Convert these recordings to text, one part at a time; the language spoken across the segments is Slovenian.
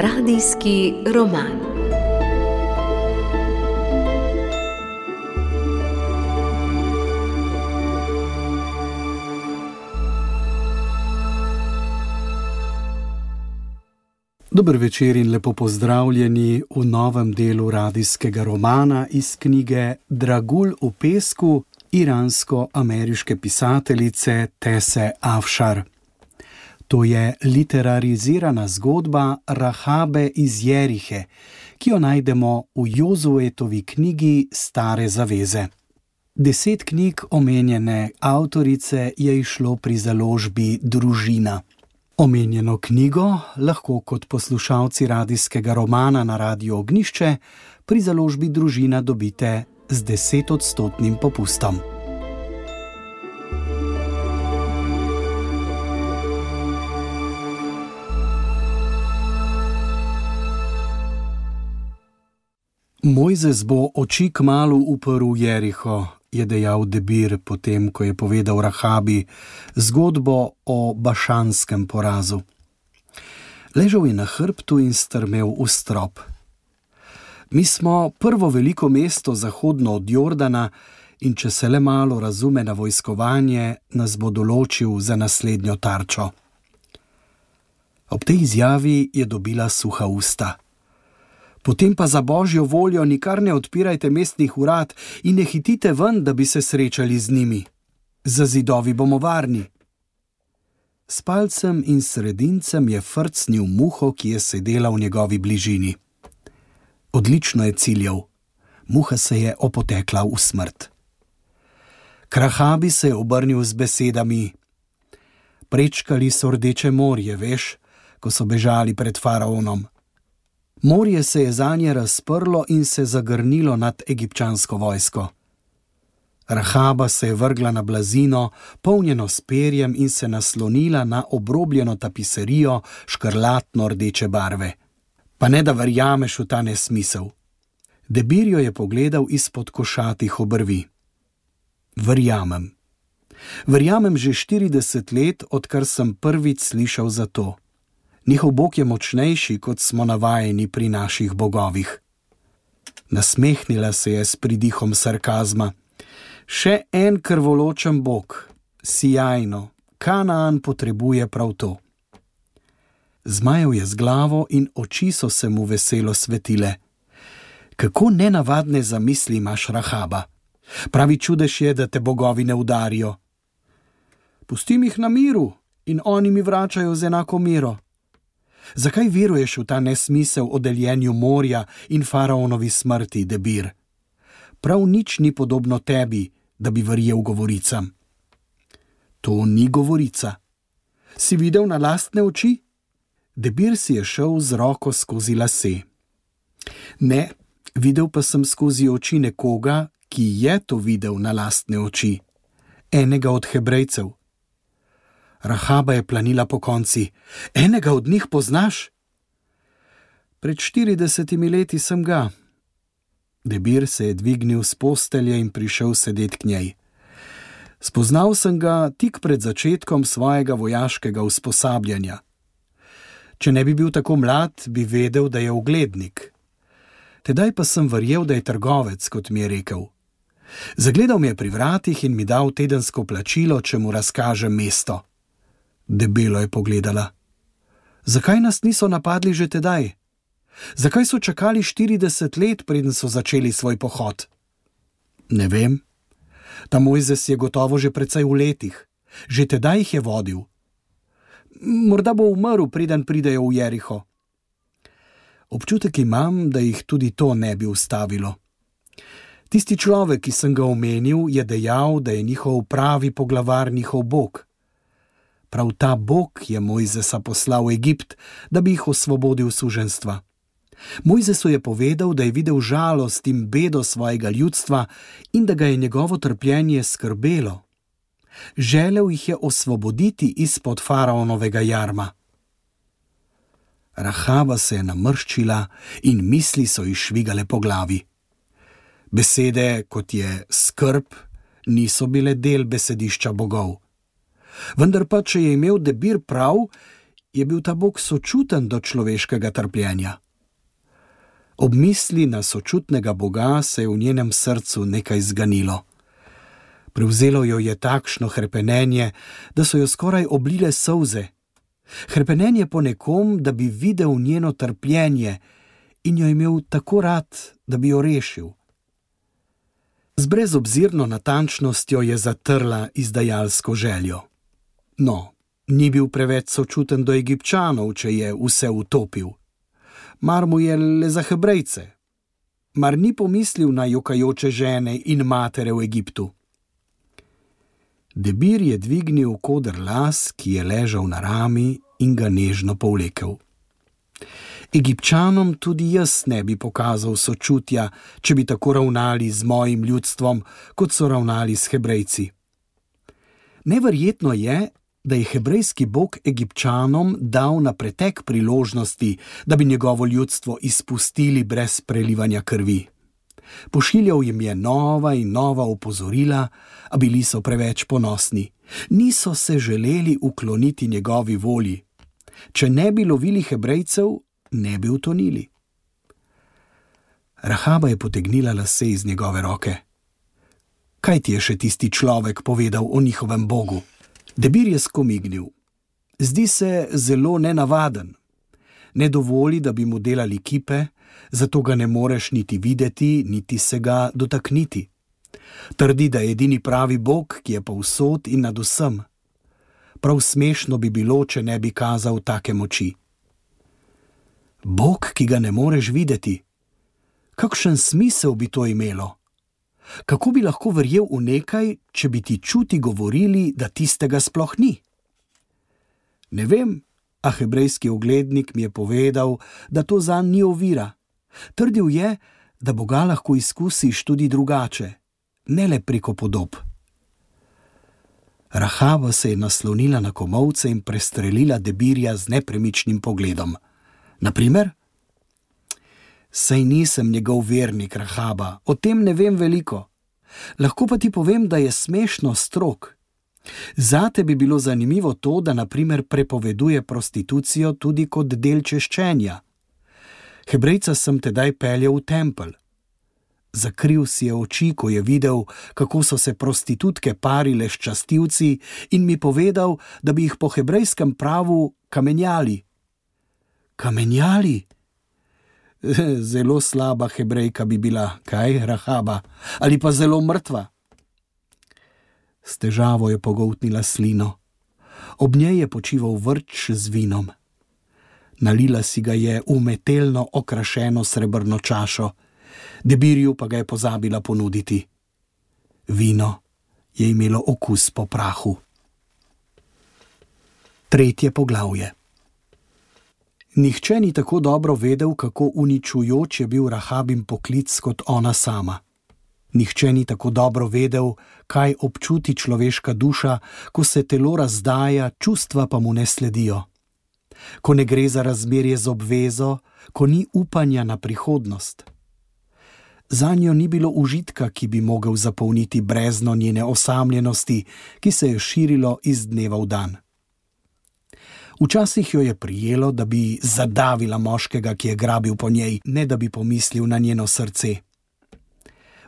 Radijski roman. Dober večer in lepo pozdravljeni v novem delu radijskega romana iz knjige Dragulj v pesku iransko-ameriške pisateljice Tese Afšar. To je literarizirana zgodba Rahabe iz Jerihe, ki jo najdemo v Jozuetovi knjigi Stare zaveze. 10 knjig omenjene avtorice je izšlo pri založbi Družina. Omenjeno knjigo lahko kot poslušalci radijskega romana na Radiu Ognjišče pri založbi Družina dobite z 10% popustom. Mojzes bo oči kmalu uprl v Jeriho, je dejal Debir potem, ko je povedal Rahabi zgodbo o bašanskem porazu. Ležal je na hrbtu in strmel v strop. Mi smo prvo veliko mesto zahodno od Jordana in če se le malo razume na vojskovanje, nas bo določil za naslednjo tarčo. Ob tej izjavi je dobila suha usta. Potem pa za božjo voljo nikar ne odpirajte mestnih vrat in ne hitite ven, da bi se srečali z njimi. Za zidovi bomo varni. S palcem in sredincem je frcnil muho, ki je sedela v njegovi bližini. Odlično je ciljal. Muha se je opotekla v smrt. K Rahabi se je obrnil z besedami: Prečkali so Rdeče morje, veš, ko so bežali pred faraonom. Morje se je zanje razprlo in se zagrnilo nad egipčansko vojsko. Rahaba se je vrgla na blazino, polnjeno s perjem, in se naslonila na obrobljeno tapiserijo škrlatno rdeče barve. Pa ne da verjameš v ta nesmisel. Debir jo je pogledal izpod košatih obrvi. Verjamem. Verjamem že 40 let, odkar sem prvič slišal za to. Njihov bog je močnejši, kot smo navajeni pri naših bogovih. Nasmehnila se je s pridihom sarkazma. Še en krvoločen bog. Sijajno. Kanaan potrebuje prav to. Zmajal je z glavo in oči so se mu veselo svetile. Kako nenavadne zamisli imaš, Rahaba. Pravi čudež je, da te bogovi ne udarijo. Pustim jih na miru in oni mi vračajo z enako miro. Zakaj veruješ v ta nesmisel o deljenju morja in faraonovi smrti, Debir? Prav nič ni podobno tebi, da bi verjel govoricam. To ni govorica. Si videl na lastne oči? Debir si je šel z roko skozi lase. Ne, videl pa sem skozi oči nekoga, ki je to videl na lastne oči. Enega od Hebrejcev. Rahaba je planila po konci. Enega od njih poznaš? Pred 40 leti sem ga. Debir se je dvignil s postelje in prišel sedet k njej. Spoznal sem ga tik pred začetkom svojega vojaškega usposabljanja. Če ne bi bil tako mlad, bi vedel, da je uglednik. Tedaj pa sem verjel, da je trgovec, kot mi je rekel. Zagledal me je pri vratih in mi dal tedensko plačilo, če mu razkažem mesto. Debelo je pogledala. Zakaj nas niso napadli že tedaj? Zakaj so čakali 40 let, preden so začeli svoj pohod? Ne vem. Ta Mojzes je gotovo že precej v letih. Že tedaj jih je vodil. Morda bo umrl, preden pridejo v Jeriho. Občutek imam, da jih tudi to ne bi ustavilo. Tisti človek, ki sem ga omenil, je dejal, da je njihov pravi poglavar njihov bog. Prav ta bog je Mojzesa poslal v Egipt, da bi jih osvobodil suženjstva. Mojzesu je povedal, da je videl žalost in bedo svojega ljudstva in da ga je njegovo trpljenje skrbelo. Želel jih je osvoboditi izpod faraonovega jarma. Rahaba se je namrščila in misli so ji švigale po glavi. Besede, kot je skrb, niso bile del besedišča bogov. Vendar pa, če je imel Debir prav, je bil ta Bog sočuten do človeškega trpljenja. Ob misli na sočutnega Boga se je v njenem srcu nekaj zganilo. Prevzelo jo je takšno hrepenenje, da so jo skoraj oblile solze. Hrepenenje po nekom, da bi videl njeno trpljenje in jo imel tako rad, da bi jo rešil. Z brezobzirno natančnostjo je zatrla izdajalsko željo. No, ni bil preveč sočuten do Egipčanov, če je vse utopil. Mar mu je le za Hebrejce? Mar ni pomislil na jokajoče žene in matere v Egiptu? Debir je dvignil koder las, ki je ležal na rami, in ga nežno povlekel. Egipčanom tudi jaz ne bi pokazal sočutja, če bi tako ravnali z mojim ljudstvom, kot so ravnali s Hebrejci. Neverjetno je, da je hebrejski Bog Egipčanom dal na pretek priložnosti, da bi njegovo ljudstvo izpustili brez prelivanja krvi. Pošiljal jim je nova in nova opozorila, a bili so preveč ponosni. Niso se želeli ukloniti njegovi volji. Če ne bi lovili Hebrejcev, ne bi utonili. Rahaba je potegnila lase iz njegove roke. Kaj ti je še tisti človek povedal o njihovem Bogu? Debir je skomignil. Zdi se zelo nenavaden. Ne dovoli, da bi mu delali kipe, zato ga ne moreš niti videti, niti se ga dotakniti. Trdi, da je edini pravi Bog, ki je povsod in nad vsem. Prav smešno bi bilo, če ne bi kazal take moči. Bog, ki ga ne moreš videti. Kakšen smisel bi to imelo? Kako bi lahko verjel v nekaj, če bi ti čuti govorili, da tistega sploh ni? Ne vem, a hebrejski oglednik mi je povedal, da to zanj ni ovira. Trdil je, da Boga lahko izkusiš tudi drugače, ne le preko podob. Rahaba se je naslonila na komolce in prestrelila Debirja z nepremičnim pogledom. Naprimer? Saj nisem njegov vernik, Rahaba, o tem ne vem veliko. Lahko pa ti povem, da je smešno strog. Zate bi bilo zanimivo to, da naprimer prepoveduje prostitucijo tudi kot del češčenja. Hebrejca sem tedaj peljal v tempelj. Zakril si je oči, ko je videl, kako so se prostitutke parile s častilci, in mi povedal, da bi jih po hebrejskem pravu kamenjali. Kamenjali? Zelo slaba Hebrejka bi bila, kaj, Rahaba? Ali pa zelo mrtva? S težavo je pogoltnila slino. Ob njej je počival vrč z vinom. Nalila si ga je v metelno okrašeno srebrno čašo, Debirju pa ga je pozabila ponuditi. Vino je imelo okus po prahu. 3. poglavje. Nihče ni tako dobro vedel, kako uničujoč je bil Rahabin poklic kot ona sama. Nihče ni tako dobro vedel, kaj občuti človeška duša, ko se telo razdaja, čustva pa mu ne sledijo. Ko ne gre za razmerje z obvezo, ko ni upanja na prihodnost. Zanjo ni bilo užitka, ki bi mogel zapolniti brezno njene osamljenosti, ki se je širilo iz dneva v dan. Včasih jo je prijelo, da bi zadavila moškega, ki je grabil po njej, ne da bi pomislil na njeno srce.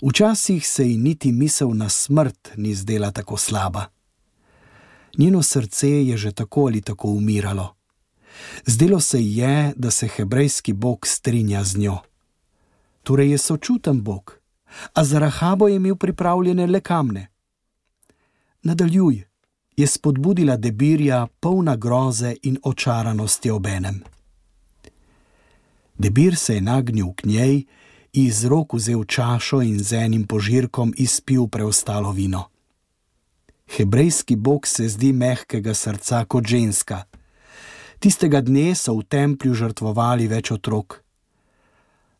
Včasih se ji niti misel na smrt ni zdela tako slaba. Njeno srce je že tako ali tako umiralo. Zdelo se ji je, da se hebrejski Bog strinja z njo. Torej je sočuten Bog, a za Rahabo je imel pripravljene le kamne. Nadaljuj, je spodbudila Debirja, polna groze in očaranosti obenem. Debir se je nagnil k njej, iz rok vzel čašo in z enim požirkom izpil preostalo vino. Hebrejski Bog se zdi mehkega srca kot ženska. Tistega dne so v templju žrtvovali več otrok.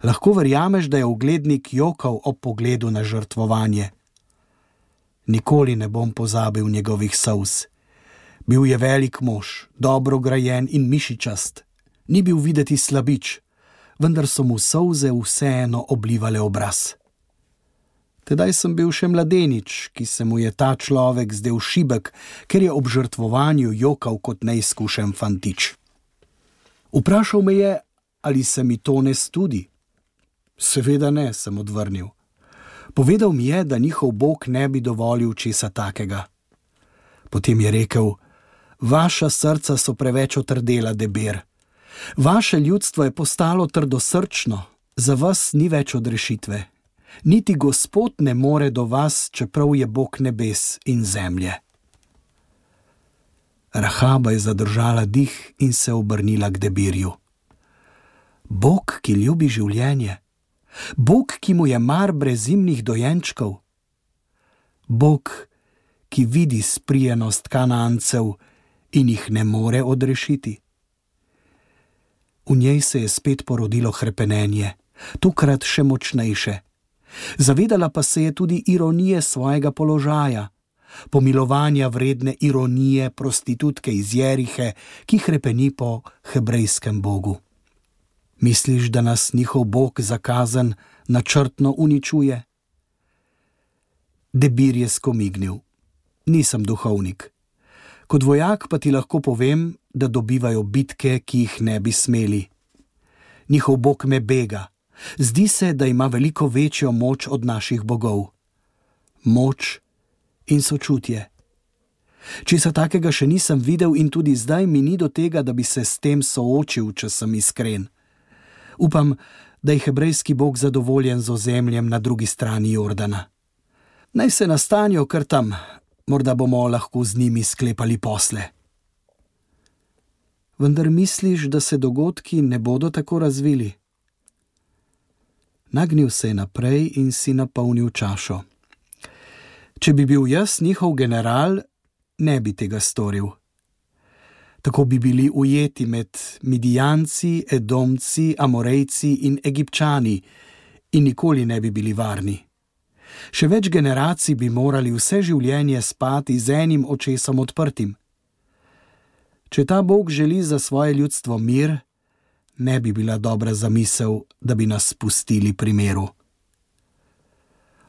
Lahko verjameš, da je oglednik jokal ob pogledu na žrtvovanje. Nikoli ne bom pozabil njegovih solz. Bil je velik mož, dobro grajen in mišičast. Ni bil videti slabič, vendar so mu solze vseeno oblivale obraz. Tedaj sem bil še mladenič, ki se mu je ta človek zdel šibek, ker je ob žrtvovanju jokal kot neizkušen fantič. Vprašal me je, ali se mi to ne studi. Seveda ne, sem odvrnil. Povedal mi je, da njihov Bog ne bi dovolil česa takega. Potem je rekel: vaša srca so preveč otrdela, Debir. Vaše ljudstvo je postalo trdosrčno, za vas ni več odrešitve. Niti Gospod ne more do vas, čeprav je Bog nebes in zemlje. Rahaba je zadržala dih in se obrnila k Debirju. Bog, ki ljubi življenje, Bog, ki mu je mar brezimnih dojenčkov, Bog, ki vidi sprijenost Kanancev in jih ne more odrešiti. V njej se je spet porodilo hrepenenje, tokrat še močnejše. Zavedala pa se je tudi ironije svojega položaja, pomilovanja vredne ironije prostitutke iz Jerihe, ki hrepeni po hebrejskem bogu. Misliš, da nas njihov Bog za kazen načrtno uničuje? Debir je skomignil. Nisem duhovnik. Kot vojak pa ti lahko povem, da dobivajo bitke, ki jih ne bi smeli. Njihov Bog me bega. Zdi se, da ima veliko večjo moč od naših bogov. Moč in sočutje. Česa takega še nisem videl in tudi zdaj mi ni do tega, da bi se s tem soočil, če sem iskren. Upam, da je hebrejski Bog zadovoljen z ozemljem na drugi strani Jordana. Naj se nastanijo kar tam, morda bomo lahko z njimi sklepali posle. Vendar misliš, da se dogodki ne bodo tako razvili? Nagnil se je naprej in si napolnil čašo. Če bi bil jaz njihov general, ne bi tega storil. Tako bi bili ujeti med Midijanci, Edomci, Amorejci in Egipčani in nikoli ne bi bili varni. Še več generacij bi morali vse življenje spati z enim očesom odprtim. Če ta Bog želi za svoje ljudstvo mir, ne bi bila dobra zamisel, da bi nas spustili pri miru.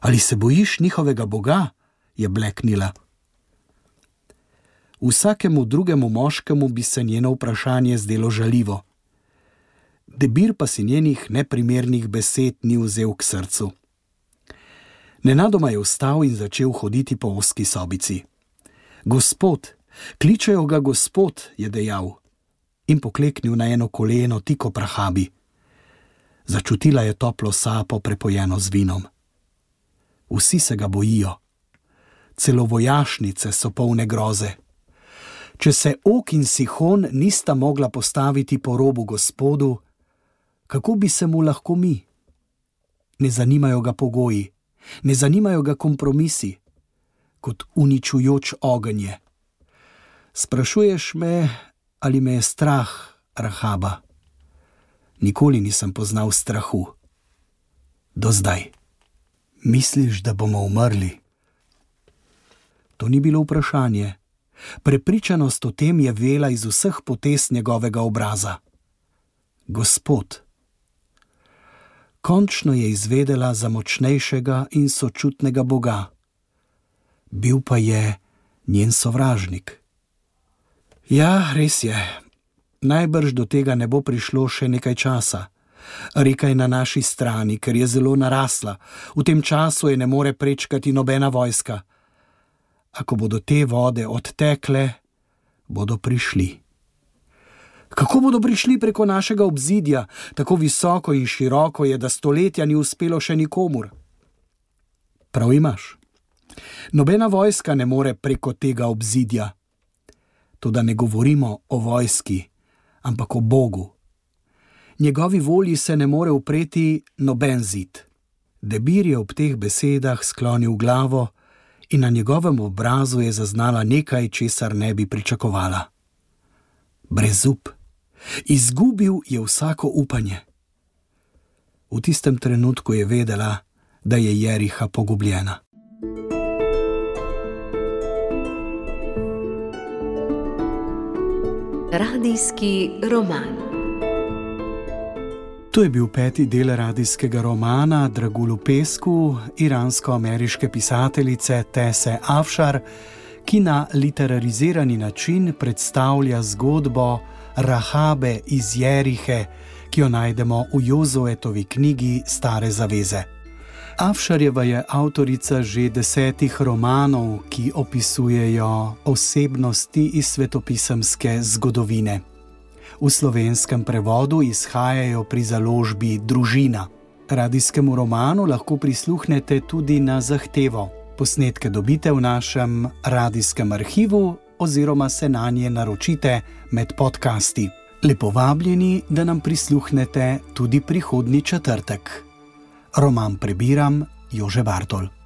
Ali se bojiš njihovega Boga? Je bleknila. Vsakemu drugemu moškemu bi se njeno vprašanje zdelo žaljivo. Debir pa si njenih neprimernih besed ni vzel k srcu. Nenadoma je vstal in začel hoditi po ozki sobici. Gospod, kličejo ga Gospod, je dejal in pokleknil na eno koleno tik ob Rahabi. Začutila je toplo sapo prepojeno z vinom. Vsi se ga bojijo. Celo vojašnice so polne groze. Če se Og in Sihon nista mogla postaviti po robu Gospodu, kako bi se mu lahko mi? Ne zanimajo ga pogoji, ne zanimajo ga kompromisi, kot uničujoč ogenj je. Sprašuješ me, ali me je strah, Rahaba? Nikoli nisem poznal strahu. Do zdaj. Misliš, da bomo umrli? To ni bilo vprašanje. Prepričanost o tem je vela iz vseh potez njegovega obraza. Gospod. Končno je izvedela za močnejšega in sočutnega Boga. Bil pa je njen sovražnik. Ja, res je. Najbrž do tega ne bo prišlo še nekaj časa. Reka je na naši strani, ker je zelo narasla. V tem času je ne more prečkati nobena vojska. A ko bodo te vode odtekle, bodo prišli. Kako bodo prišli preko našega obzidja? Tako visoko in široko je, da stoletja ni uspelo še nikomur. Prav imaš. Nobena vojska ne more preko tega obzidja. Toda ne govorimo o vojski, ampak o Bogu. Njegovi volji se ne more upreti noben zid. Debir je ob teh besedah sklonil glavo in na njegovem obrazu je zaznala nekaj, česar ne bi pričakovala. Brezup. Izgubil je vsako upanje. V tistem trenutku je vedela, da je Jeriha pogubljena. Radijski roman. To je bil 5. del radijskega romana Dragul v pesku iransko-ameriške pisateljice Tese Afšar, ki na literarizirani način predstavlja zgodbo Rahabe iz Jerihe, ki jo najdemo v Jozuetovi knjigi Stare zaveze. Avšarjeva je avtorica že 10 romanov, ki opisujejo osebnosti iz svetopisemske zgodovine. V slovenskem prevodu izhajajo pri založbi Družina. Radijskemu romanu lahko prisluhnete tudi na zahtevo. Posnetke dobite v našem radijskem arhivu oziroma se nanje naročite med podcasti. Lepo vabljeni, da nam prisluhnete tudi prihodnji četrtek. Roman prebiram Jože Bartol.